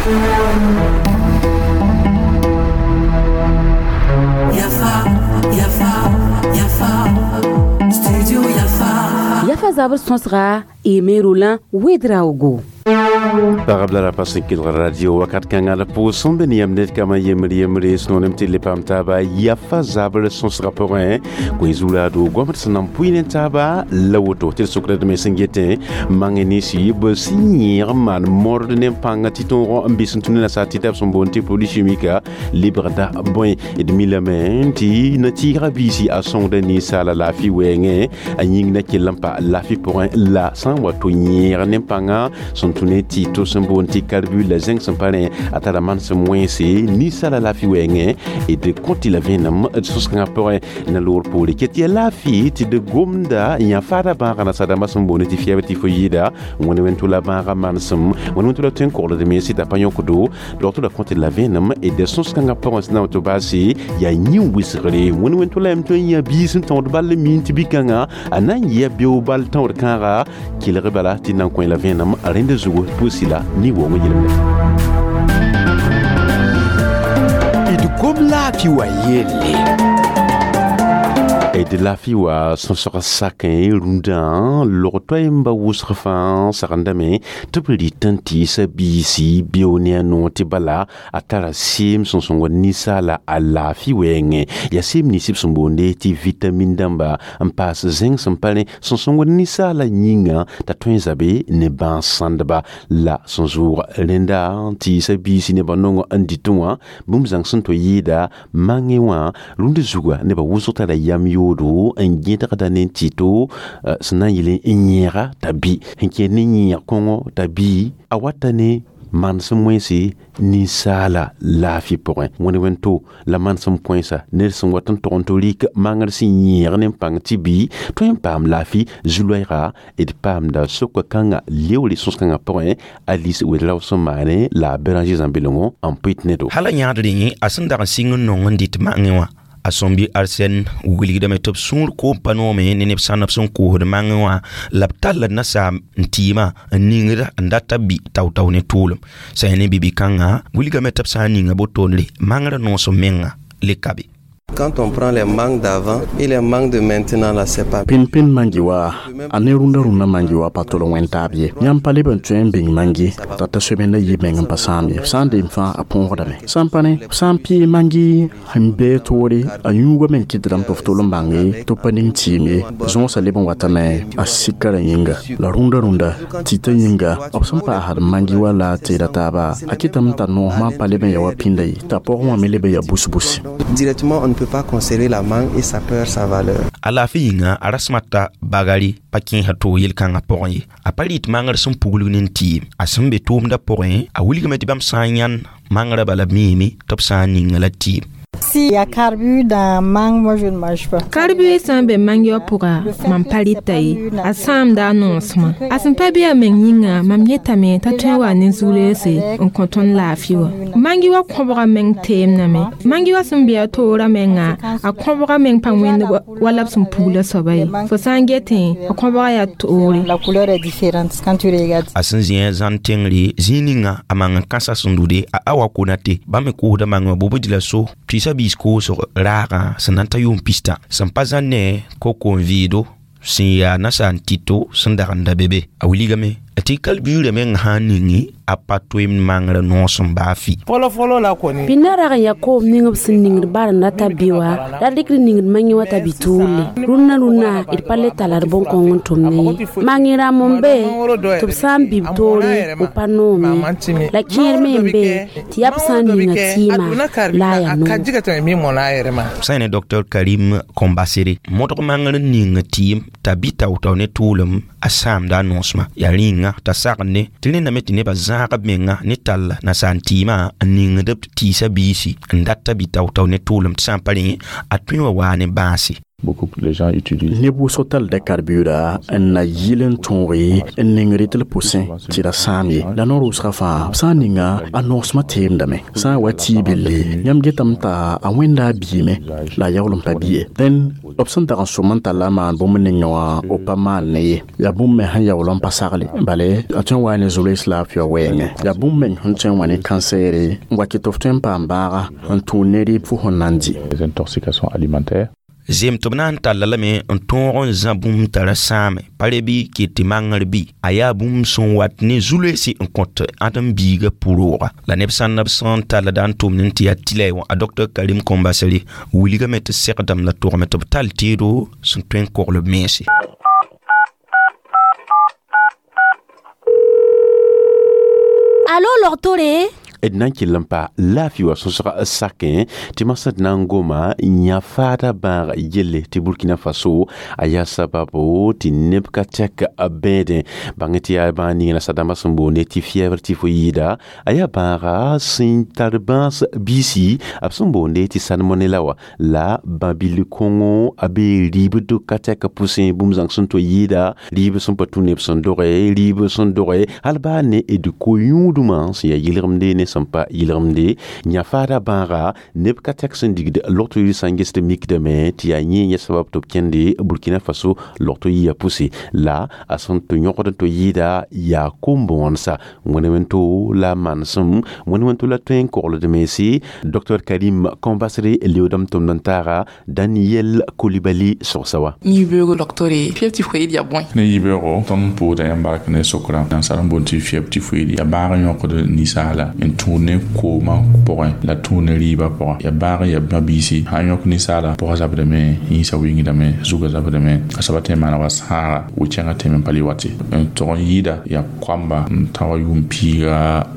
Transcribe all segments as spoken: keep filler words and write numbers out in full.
Yafa, Yafa, Yafa, Studio Yafa. Yafa zabr sõsga Aimé Roland Ouédraogo. Pagb la rapa sẽn kelg radio wakat kãngã la pʋʋs be ne yam ned kama yembr yembre sẽnoolem tɩ le paam taaba yafa zabr sõsgã pʋgẽ koe zuraado goamd sẽn nan pʋɩ ne taaba la woto tɩ d sokdame sẽn getẽ mang ninsi b sẽn yẽeg n maan mord ne pãngã tɩ tõog n bɩs n tũ ne nasaar tɩ b sẽn boond tɩ produit chimique lebgda bõe d mi lame tɩ na-tɩɩgã biisi a sõngda ninsaala laafɩ wɛɛngẽ a yĩng na kell n pa laafɩ pʋgẽ la sã n wa to yẽeg ne pãngã sẽn tũ ne tɩ to sẽn boond tɩ carbure la zẽng sẽn pa rẽ a tara manesem wẽnse ninsaala laafɩ wɛɛngẽ d kõ tɩ la vẽenem d sõs-kãngã pʋgẽ na loor poore ket yaa laafɩ tɩ d gomda yã faada bãagã nasaar-dãmbã sẽn boond tɩ fiɛb tɩ fo yɩɩda wẽnd wẽn-tʋla bãagã manesem wẽnd wẽn-tʋla tõe n kogld mense t'a pa yõkdo dogto la kõ tɩ la vẽenem d sõs-kãngã pʋgẽ sẽn na n tɩ baase yaa yĩn wɩsgre wẽnd wẽn-tʋla yam tõe n yã biis n tõod ball n miin tɩ bi-kãngã a na n yɩa beoog bal tõod kãaga kelg bala tɩ nan kõ la vẽenem rẽnd zugu pʋʋsi la ni-woongã yelmde d gom laafɩ wa yelle d laafɩ wa sõsg sakẽ rũndã log toay n ba wʋsg fãa sagendame tɩ b rɩt n tɩɩsa biisi beo ne a noor tɩ bala a tara seem sẽn sõngd ninsaala a laafɩ wɛɛngẽ yaa seem nins b sẽn boonde tɩ vitamin dãmba n paas zẽng sẽn pa rẽ sẽn sõngd ninsaala yĩnga t'a tõe n zabe ne bãas sãndba la sẽn zʋʋg rẽnda n tɩɩsa biisi nebã nongã n dɩtẽ wã bũmb zãng sẽn to yɩɩda mangẽ wã rũnd zuga nebã wʋsg tara yam yoodo n gẽdgda ne tɩto sẽn na n yɩl n yẽega t'a bɩ sẽn kẽed ne yẽeg kõngo t'a bɩ a wata ne manesem wẽnse ninsaala laafɩ pʋgẽ wẽnd wẽn-to la manesem kõensa ned sẽn wat n tog n tɩ rɩk mangr sẽn yẽeg ne pãng tɩ bɩ tõe n paam laafɩ zu-loɛɛga d paamda soka kãngã leoore sõs-kãngã pʋgẽ Alice Ouédraogo sẽn maane la a Béranger Zãmbelongo n pʋɩt ne do hala yãadr yẽ a sẽn dag n sɩng n nong n dɩt mangẽ wã a sõmbi Arsène wilgdame tɩ b sũur koom pa noome ne neb sãneb sẽn koosd mangẽ wã la b talla nasaam n tɩɩmã n ningda n data bɩ tao-tao ne tʋʋlem sã ne bibi-kãngã wilgame tɩ b sã n ninga botondre mangrã noosem menga le ka be. Quand on prend les mangues d'avant et les mangues de maintenant, là, c'est pas. Pin pin mangi wa a ne rũndã rũndã mangi wa pa tol n wẽn taab ye yãmb pa leb n tõe n bĩng mangi t'a ta soeben la yɩ meng n pa sãam ye sã n deem fãa a põosdame sã n pa ne sã n pɩɩ mangi sẽn bee toore a yũugame n kɩtdame tɩ f tol n bãnge tɩ b pa ning tɩɩm ye zõosã leb n watame a sika rã yĩnga la rũndã rũndã tɩta yĩnga b sẽn paasd mangi wa la a teeda taaba a kɩtame t'a noosmã pa leb n ya wa pĩnda ye t'a pɔgẽ wã me leb n ya bus-busi. Directement, on ne peut pas conserver la mangue et ça perd sa valeur. A laafɩ yĩnga a rasmata bagari pa kẽesa toog yel-kãngã pʋgẽ ye a pa rɩt mangr sẽn puglg ne n tɩɩm a sẽn be tʋʋmdã pʋgẽ a wilgame tɩ bãmb sã n yãnd mangrã bala miime tɩ b sã n ninga la tɩɩm. S'il y a carbure dans mangue, moi je ne mange pas. Carbure sã n be mangi wã pʋga mam pa rɩta ye a sãamda a noosmã a sẽn pa bɩ a meng yĩnga mam yetame t'a tõe n wa ne zu-reese n kõ tõnd laafɩ wã mangi wã kõbga meng teemdame mangi wã sẽn be a toorã menga a kõbga meng pa wẽnd wala b sẽn pugla soaba ye fo sã n getẽ a kõbga yaa toore. La couleur est différente quand tu regardes. A sẽn zĩ zãn tẽngre zĩig ninga a mang n kãsa sẽn dude a awa konate bãmb me koosda mangẽ wã bobd la so tɩɩsa biis koosg raagã sẽn na n ta yʋʋm pista sẽn pa zãn ne koko n vɩɩdo sẽn yaa nasaar n tɩto sẽn dag n da be be a wilgame tɩ kalbuurã meng sã n ningi a pa toeem mangrã noosem baa fɩ. Fɔlɔ fɔlɔ la kɔni. Pĩnda rag n yaa koom ning b sẽn ningd barenda t'a bɩ wa la rɩkd ningd mangẽ wã t'a bɩ tuulle rũnnã rũnnã d pa le tala d bõn-kõng n tʋmd ye mangẽ rãmb n be tɩ b sã n bɩ b toore b pa noome la kẽer me n be tɩ yaa b sã n ninga tɩɩmã la a yaa A ka noog. ji ka tɛmɛ min mɔna a yɛrɛ ma. Sã ne docteur Karim Kombasere modg mangr n ning tɩɩm t'a bɩ tao-tao ne tʋʋlem a sãamda a noosmã yaa rĩnga t'a sagende tɩ rẽndame tɩ nebã zãag b menga ne tall nasaar tɩɩmã n ningd b tɩɩsa biisi n data bɩ tao-tao ne tʋʋlem tɩ sã n pa rẽ a tõe wa waa ne bãase. Beaucoup les gens utilisent. Neb wʋsg talda karbura n na yɩl n tõoge n ning rɩt l pʋsẽ tɩ ra sãam ye la noor wʋsga fãa b sã n ninga a noosmã teemdame sã n wa tɩ belle yãmb getame t'a a wẽnda a biime la a yaool n pa bi ye dẽn b sẽn dag n sʋm n talla a maan bũmb ninga wã b pa maan ne ye yaa bũmb me sẽn yaool n pa sagle bale a tõe n waa ne zorees laafɩ wã wɛɛngẽ yaa bũmb meng sẽn tõe n wa ne kansɛɛre n wa kɩ tɩ f tõe n paam bãaga n tũud ne rɩ fo sẽn na n dɩ. Les intoxications alimentaires. Zem tɩ b na n talla lame n tõog n zã bũmb t'a ra sãame pa re bɩ ket tɩ mangr bɩ a yaa bũmb sẽn wat ne zu-loeese n kõt ãdem-biigã pʋ-rooga la neb sãn b sẽn talla da n tʋmd n tɩ yaa tɩlɛ wã a docteur Karim Kombasere wilgame tɩ segdame la togame tɩ b tall teedo sẽn tõe n kogl b mense. Alo logtore d na n kell n pa laafɩ wa sõsg sakẽ tɩ masã d na n goma yã faada bãag yelle tɩ Burkina Faso a yaa sababo tɩ neb ka tɛk bẽedẽ bãng tɩ yaa bãag ning nasadãmbã sẽn boonde tɩ fièvre typhoïde a yaa bãaga sẽn tar bãas biisi b sẽn boonde tɩ salmonella wa la bã-bill kõngo a bee rɩɩbd ka tɛk pʋsẽ bũmb zãng sẽn to yɩɩda rɩɩb sẽn pa tũ neb sẽn doge rɩɩb sẽn doge hal baa ne d ko-yũudmã sẽn yaa yɩlgemde ne sẽn pa yɩlgemde yã faada bãaga neb ka tɛk sẽn digd logto yir sã n gesd mikdame tɩ yaa yẽ yẽ sabab tɩ b kẽnde Burkina Faso logto yia pʋse la a sẽn tɩ yõgd n tɩ yɩɩda yaa kom-bõonsa wẽne-wẽnto la manesem wẽne-wẽnto la tõe n kogld mense docteur Karim Kombasere leoodame tʋmd n taaga Daniel Coulibaly sogsa wa. Yibeoogo docteur fièvre typhoïde yaa bõe? Ne yibeoogo tõnd pʋʋda yãmb bark ne sokra nansar n boond tɩ fièvre typhoïde yaa bãag n yõkd ninsaala n tũud ne koomã pʋgẽ la tũud ne rɩɩbã pʋgẽ yaa bãag yaa bã-biisi sã n yõk ninsaala pʋgã zabdame yĩnsã wingdame zugã zabdame a soaba tõe n maana wa sãaga wɩ-kẽngã tẽm n pa le wate n tog n yɩɩda yaa koamba n ta wa yʋʋm piiga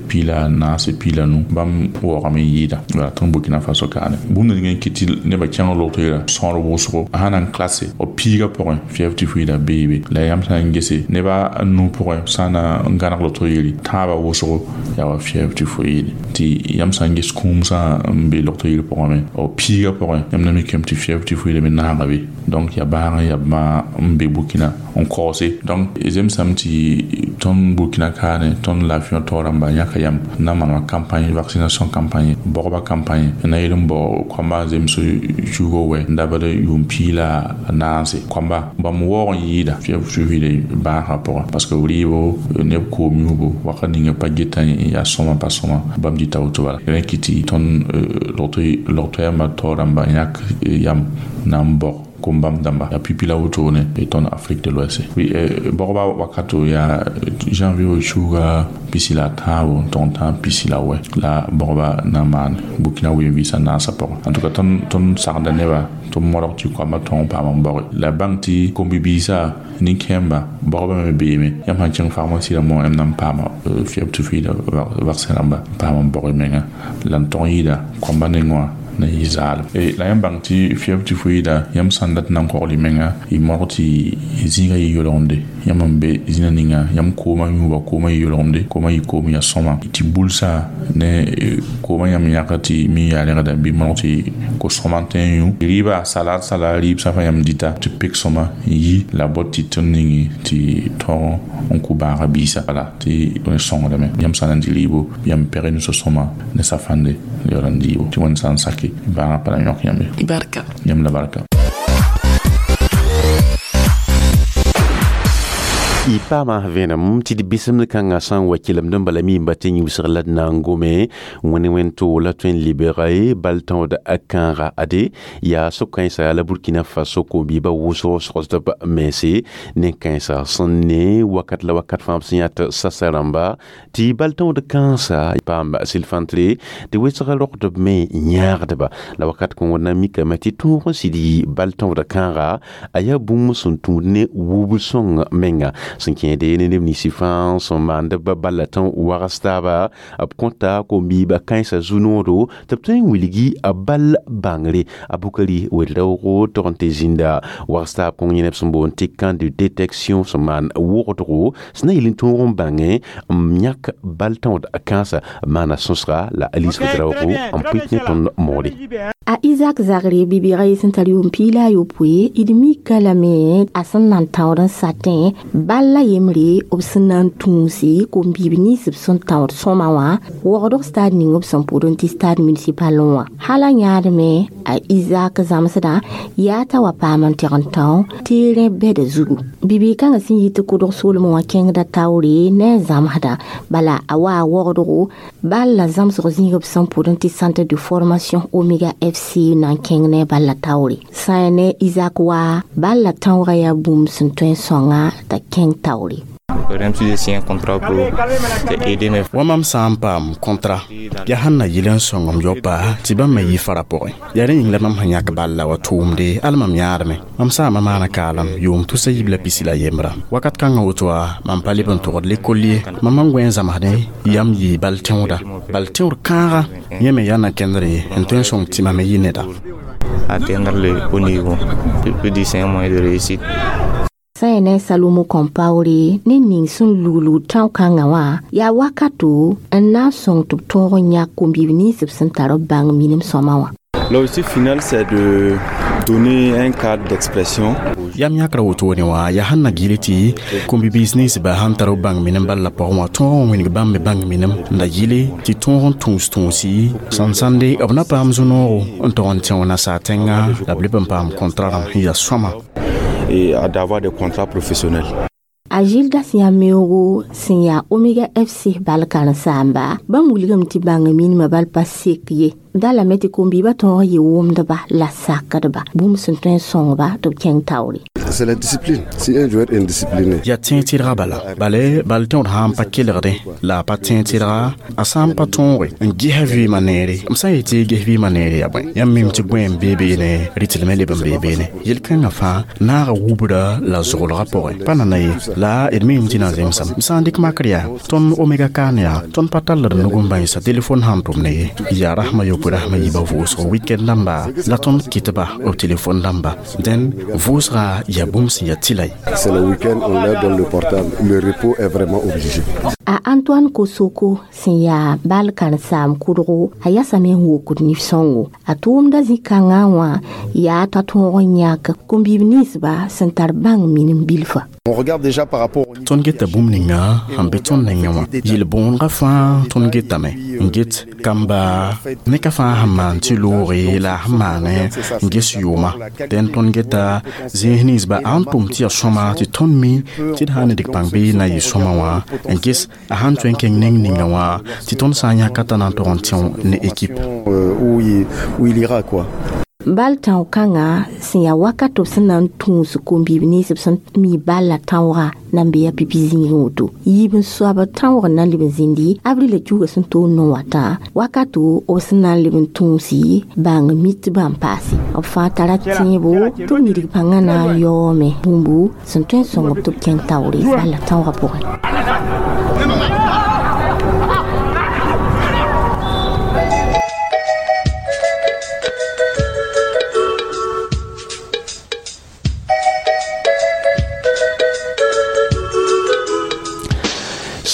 pii la naase pii la nu bãmb waoogame n yɩɩda wala tõnd Burkina Faso kaane bũmb ning n kɩt tɩ nebã kẽng logto yɛla sõor wʋsgo sã na n klase b piigã pʋgẽ fièvre typhoïde beebe la yãmb sã n gese nebã nu pʋgẽ sã na n gãneg logto yeli tãabã wʋsgo yaa wa fièvre typhoïde tɩ yãmb sã n ges kũumsã n be logto yel pʋgẽ me b piigã pʋgẽ yãmb na mikame tɩ fièvre typhoïde me naanga be donc yaa bãag n yaa bãag n be Burkina n kaoose donc zemsame tɩ tõnd Burkina kaane tõnd laafɩ wã taoor rãmba yãka yam n na n manema campagne vaccination campagne bɔgba campagne n na yel n bao koamba zems cuugo wɛ n dabd yʋʋm pii la naase koamba bãmb waoog n yɩɩda fièvre typhoïde bãasã pʋgẽ parce que rɩɩbo neb koom yũubo wakat ninga pa geta n yaa sõma pa sõma bãmb dita woto bala rẽ kɩ tɩ tõnd logto yãmba taoor rãmba yãk yam na n bɔg kom-bãmb dãmba yaa pipi la wotone tõnd Afrique de l'Ouest bɔgba wakato yaa janvier wa cuuga pisi la tãabo n tog n tãab pisi la wɛ la bɔgba na n maan Burkina ween-vɩɩsã naasã pʋgẽ en tout cas tõnd sagda neba tɩ modg tɩ koambã tõog n paam n baoge la bãng tɩ kom-bibiisã nin-kẽemba baoobã me beeme yãmb sãn kẽng pharmacie rãmbã yãmb na n paama fièvre typhoïde vaccin rãmba n paam n baoog y menga la n tog n yɩɩda koambã nengẽ wã na yɩ zaalem la yãmb bãng tɩ fièvre typhoïde yãmb sãn dat n na n kogl y menga y modg tɩ zĩigã yɩ yolgemde yãmb n be zĩnã ninga yãmb koomã yũuba koomã yɩ yolgemde koomã yɩ koom yaa sõma tɩ bulsã ne koomã yãmb yãka tɩ mi yaa rẽgda bɩ modg tɩ ko-sõma n tõe n yũ rɩɩba salad salad rɩɩb sã fãa yãmb dɩta tɩ pek sõma n yi la bot tɩ tõnd ningi tɩ tõog n kʋ bãaga biisa wala tɩ sõngdame yãmb sã na n dɩ rɩɩbo yãmb pɛg y nusã sõma ne safande yaool n dɩɩbo tɩ wẽnd sã n sake bãagã pa na yõk yãmb ye barka yãmb la barka. Y paama vẽenem tɩ d bɩsemd kãngã sã n wa kelemd n bala mi n ba tɩ yĩusg la d na n gome wẽne wẽn-to la tõe n lebga ye bal tãood a kãaga ade yaa so-kãensa la Burkina Faso ko-biibã wʋsg sogsd b mense nen-kãensã sẽn ne wakat la wakat fãa b sẽn yaa tɩ sasa rãmba tɩ bal tãood kãensa paam sɩl-fãntre tɩ wesg rogdb me yãagdba la wakat kõn na mikame tɩ tõog n sɩd yɩ bal tãood kãaga a yaa bũmb sẽn tũud ne wub sõng menga Sẽn kẽede ne neb ninsi fãa sẽn maand b balla tã wags taaba b kõta kom-biibã kãensã zu-noodo tɩ b tõe n wilgi a bal bãngre. A Bukari Ouedraogo tog n tɩ zĩnda wags taab kõng yẽ neb sẽn boond tɩ camp de détection sẽn maan wogdgo sẽn na yel n tõog n bãngẽ n yãk bal tãood kãensã maana sõsga la Alice Ouedraogo n pʋɩt ne tõnd moore. A Isaac Zagre bibiga y sẽn tar yʋʋm piig la a yopoe d mika lame a sẽn na n tãood n satẽ bal la yembre b sẽn na n tũusi kom-biib nins b sẽn tãood sõma wã wogdg stade ning b sẽn pʋd n tɩ stade municipal wã hala yãadme a Isaac zãmsdã yaa t'a wa paam n tɩg n tão terrain bɛda zugu bibiig kãngã sẽn yit tɩ kʋdg soolmẽ wã kẽngda taoore ne a zãmsdã bala a wa a wogdgo bal la zãmsg zĩig b sẽn pʋd n tɩ centre de formation Omega F C na n kẽng ne bal la taoore sã ne Isaac wa bal la tãoogã yaa bũmb sẽn tõe n sõnga t'a kẽng taoore. Wa mam sã n paam kɔntra yaa sẽn na yɩl n sõng m yopa tɩ bãmb me yɩ fara pʋgẽ yaa rẽ yĩng la mam sẽn yãk bal la wa tʋʋmde al mam yãadme mam saama maana kaalem yʋʋm tusa yib la pisi la yembra wakat kãngã woto wa mam pa leb n togd lekol ye mam n goẽ n zãmsdẽ yam yɩ bal tẽoda bal tẽod kãaga yẽ me yaa na kẽndre n tõe n sõng tɩ mam yɩ neda. Atteindre le haut niveau. Je peux dire c'est un moyen de réussite. Sã ne Salomo Compaoré ne ning sẽn luglug tão-kãngã wã yaa wakato n na n sõng tɩ b tõog n yãk kom-biib nins b sẽn tar b bãng minim sõma wã. L'objectif final, c'est de donner un cadre d'expression. Yam yãkra wotone wã yaa sẽn na gɩl tɩ kom-biis ninsbã sãn tar b bãng minem bal la pʋgẽ wã tõog n wĩneg bãmb me bãng minem n da yɩle tɩ tõog n tũus tũusi sẽn sãnde b na paam zu-noogo n tog n tẽo nasaar tẽnga la b leb n paam kɔntra rãmb sẽn yaa sõma. Et d'avoir des contrats professionnels. A Gildas Yameogo sẽn yaa Omega F C bal karen-saamba bãmb wilgame tɩ bãng minimã bal pa sek ye da lame tɩ kom-biibã tõog n yɩ wʋmdba la sakdba bũmb sẽn tõe n sõngba tɩ b kẽng taoore. C'est la discipline. Si un joueur est indiscipliné. Ya tẽeg tɩrga bala bale bal tẽod sã n pa kelgdẽ la a pa tẽeg tɩrga a sã n pa tõoge n gesa vɩɩmã neere m sã n yetɩ ges vɩɩmã neere yaa bõe yãmb mim tɩ gõe n bee beene rɩtlmẽ leb n bee beene yel-kãngã fãa naaga wubra la zʋglgã pʋgẽ pa nana ye la d mim tɩ na zemsame m sã n dɩk makr yaa tõnd Omega kaan yaa tõnd pa tall d nug n bãensa telefon sãn tʋm ne ye yaa rasmã yopoe rasmã yiibã vʋʋsg weekend dãmba la tõnd kɩtba b telefon dãmba dẽn vʋʋsga yaa bũmb sẽn yaa tɩla ye. C'est le week-end, on leur donne le portable. Le repos est vraiment obligé. A Antoine Kosoko sẽn yaa bal karen-saam kʋdgo a yasame n wokd nif-sõngo a tʋʋmda zĩ-kãngã wã yaa t'a tõog n yãk kom-biib ninsba sẽn tar bãng minim bilfa. On regarde déjà par rapport au Tõnd geta bũmb ninga sẽn be tõnd nengẽ wã yel-bõonegã fãa tõnd getame n get kamba ne ka fãa sẽn maan tɩ looge la a sẽn maane n ges yʋʋma dẽn tõnd geta zĩis ninsba a sẽn tʋm tɩ yaa sõma tɩ tõnd mi tɩ d sã n ne dɩk pãng bɩ na yɩ sõma wã n ges a sãn tõe n kẽng neng ninga wã tɩ tõnd sã n yãka t'a na n tog n tẽo ne équipe. euh, où il, où il ira quoi. Bal tão-kãngã sẽn yaa wakat b sẽn na n tũus kom-biib nins b sẽn mi bal la tãooga na n bee a pipi zĩigẽ woto yiib n soab tãoog n na n leb n zĩndi avril la kiuga sẽn toor no wã tã wakato b sẽn na n leb n tũusi bãng mitbã n paase b fãa tara tẽebo tɩ b nidg pãngã na n yaoome bũmbu sẽn tõe n sõng-b tɩ b kẽng taoore bal la tãoogã pʋgẽ.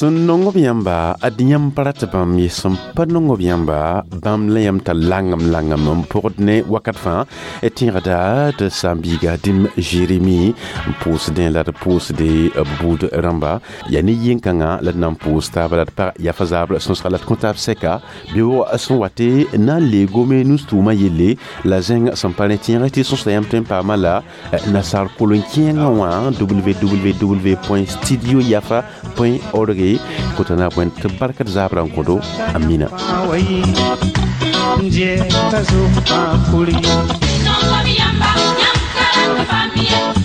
Sẽn nong b yãmba ad yãmb pa rat bãmb ye sẽn pa nong b yãmba bãmb la yãmb t'a langem langem n pʋgd ne wakat fãa tẽegda tɩ saam-biiga dĩm Jeremi n pʋʋsdẽ la d pʋʋsde b buud rãmba yaa ne yẽn-kãngã la d na n pʋʋs taaba la d pag yafa zaabr sõsga la d kõ taab sɛka beoog sẽn wate na n leegome nus-tʋʋmã yelle la zẽng sẽn pa rẽ tẽeg tɩ sõsda yãmb tõe n paama la nasaar kolon-kẽengã wã www studio yafa org kotana bõe tɩ bark d zabrã n kõdo amina. Yamba, yam,